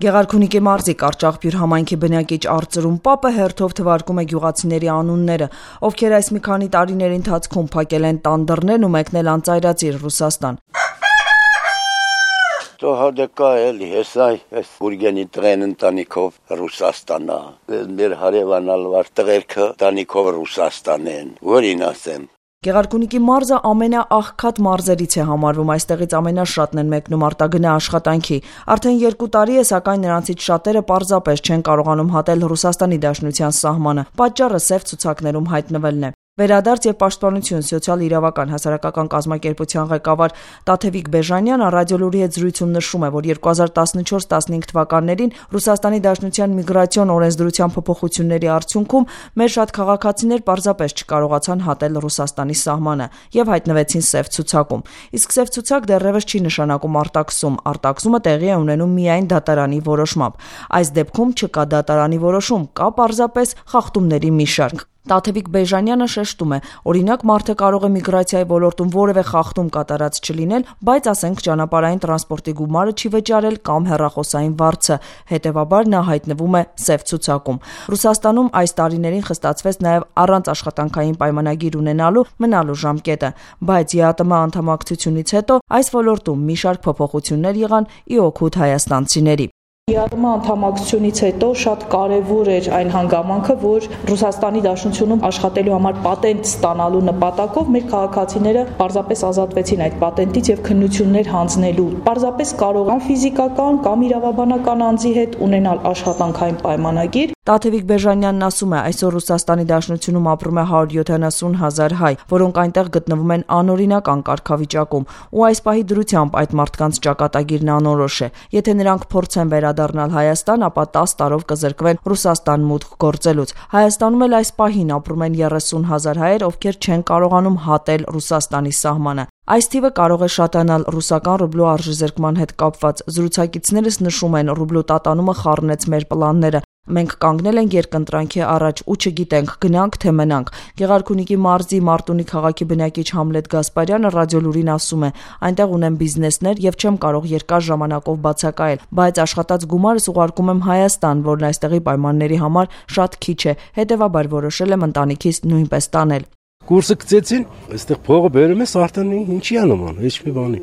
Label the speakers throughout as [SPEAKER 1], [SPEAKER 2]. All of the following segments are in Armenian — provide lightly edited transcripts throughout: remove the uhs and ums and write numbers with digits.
[SPEAKER 1] Գեղարքունիքի մարզի Կարճախբյուր համայնքի բնակիչ Արծրուն Պապը հերթով թվարկում է գյուղացիների անունները, ովքեր այս մի քանի տարիների ընթացքում փակել են տան դռներն ու մեկնել անծայրածիր Ռուսաստան։
[SPEAKER 2] Հոդեկա էլի, այս Գուրգենի տրեն ընտանիքով Ռուսաստանա, մեր հարևանալ վար տղերքը ընտանիքով Ռուսաստան են, որին ասեմ։
[SPEAKER 1] Գեղարքունիքի մարզը ամենաաղքատ մարզերից է համարվում, այստեղից ամենաշատն են մեկնում արտագնա աշխատանքի։ Արդեն 2 տարի է, սակայն նրանցից շատերը պարզապես չեն կարողանում հատել Ռուսաստանի Դաշնության սահմանը։ Պատճառը սև ցուցակներում հայտնվելն է։ Վերադարձ եւ պաշտպանություն սոցիալ-իրավական հասարակական կազմակերպության ղեկավար Տաթևիկ Բեժանյանը ռադիոլուրի հետ զրույցում նշում է, որ 2014-15 թվականներին Ռուսաստանի Դաշնության միգրացիոն օրենսդրության փոփոխությունների արդյունքում մեր շատ քաղաքացիներ պարզապես չկարողացան հատել Ռուսաստանի սահմանը եւ հայտնվեցին սև ցուցակում։ Իսկ սև ցուցակ դեռևս չի նշանակում արտաքսում։ Արտաքսումը տեղի է ունենում միայն դատարանի որոշմամբ։ Այս դեպքում չկա դատարանի որոշում, կա պարզապես խախտումների մի շարք։ Տաթևիկ Բեժանյանը շեշտում է, օրինակ մարդը կարող է միգրացիայի ոլորտում որևէ խախտում կատարած չլինել, բայց ասենք ճանապարհային տրանսպորտի գումարը չի վճարել կամ հեռախոսային վարձը, հետևաբար նա հայտնվում է սև ցուցակում։ Ռուսաստանում այս տարիներին խստացվեց նաև առանց աշխատանքային պայմանագիր ունենալու մնալու ժամկետը, բայց ԵԱՏՄ անդամակցությունից հետո այս ոլորտում մի շարք փոփոխություններ եղան ի օգուտ հայաստանցիների։
[SPEAKER 3] ԵԱՏՄ անդամակցությունից հետո շատ կարևոր էր այն հանգամանքը, որ Ռուսաստանի Դաշնությունում աշխատելու համար պատենտ ստանալու նպատակով մեր քաղաքացիները պարզապես ազատվեցին այդ պատենտից եւ քննություններ հանձնելու։ Պարզապես կարող են ֆիզիկական կամ իրավաբանական անձի հետ ունենալ աշխատանքային պայմանագիր։
[SPEAKER 1] Տաթևիկ Բեժանյանն ասում է, այսօր Ռուսաստանի Դաշնությունում ապրում է 170,000 հայ, որոնք այնտեղ գտնվում են անօրինական կարգավիճակում, ու այս պահի դրությամբ այդ մարդկանց ճակատագիրն անորոշ է։ Եթե նրանք փորձեն վերադառնալ Հայաստան, ապա 10 տարով կզրկվեն Ռուսաստան մուտք գործելուց։ Հայաստանում էլ այս պահին ապրում են 30,000 հայեր, ովքեր չեն կարողանում հատել Ռուսաստանի սահմանը։ Այս թիվը կարող է շատանալ ռուսական ռուբլու արժեզրկման հետ կապված։ Զրուցակիցներս նշում են, ռուբլու տատանումը խառնեց մեր պլանները։ Մենք կանգնել ենք երկընտրանքի առաջ ու չգիտենք գնանք թե մնանք։ Գեղարքունիքի մարզի Մարտունի քաղաքի բնակիչ Համլետ Գասպարյանը ռադիոլուրին ասում է. այնտեղ ունեմ բիզնեսներ եւ չեմ կարող երկար ժամանակով բացակայել, բայց աշխատած գումարս ուղարկում եմ Հայաստան, որն այստեղի պայմանների համար շատ քիչ է, հետեւաբար որոշել եմ ընտանիքիս նույնպես տանել։
[SPEAKER 4] Կուրսը գցեցին, այստեղ փողը բերում ես արդեն ինչի անում, ոչ մի բանի։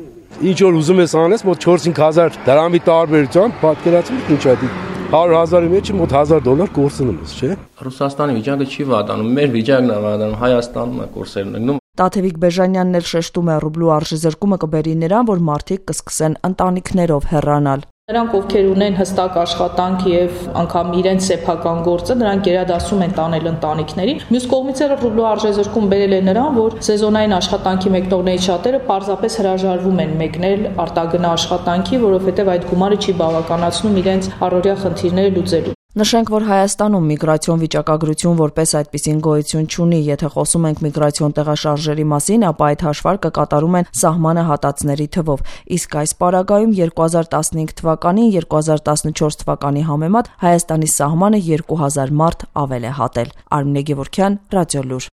[SPEAKER 4] Ինչ որ ուզում ես անես, մոտ 4-5,000 դրամի տարբերությամբ պատկերացնում ինչ է դի 100,000-ի մեջ մոտ $1,000 կորցնում ես, չէ՞։
[SPEAKER 5] Ռուսաստանի վիճակը չի վատանում, մեր վիճակն է վատանում, Հայաստանում է կորսերն ընկնում։
[SPEAKER 1] Տաթևիկ Բեժանյանն էլ շեշտում է, ռուբլու արժեզրկումը կբերի նրան, որ մարդիկ կսկսեն ընտանիքներով հեռանալ։
[SPEAKER 3] Նրանք, ովքեր ունեն հստակ աշխատանք եւ անգամ իրենց սեփական գործը, նրանք գերադասում են տանել ընտանիքներին։ Մյուս կողմից էլ ռուբլու արժեզրկում բերել է նրան, որ սեզոնային աշխատանքի մեկնողներից շատերը պարզապես հրաժարվում են մեկնել արտագնա աշխատանքի, որովհետեւ այդ գումարը չի բավականացնում իրենց առօրյա խնդիրները լուծելու։
[SPEAKER 1] Նշենք, որ Հայաստանում միգրացիոն վիճակագրություն որպես այդպիսին գոյություն չունի։ Եթե խոսում ենք միգրացիոն տեղաշարժերի մասին, ապա այդ հաշվարկը կատարում են սահմանը հատածների թվով։ Իսկ այս պարագայում 2015 թվականին 2014 թվականի համեմատ Հայաստանի սահմանը 2,000 մարդ ավել է հատել։ Արմինե Գևորգյան, Ռադիոլուր։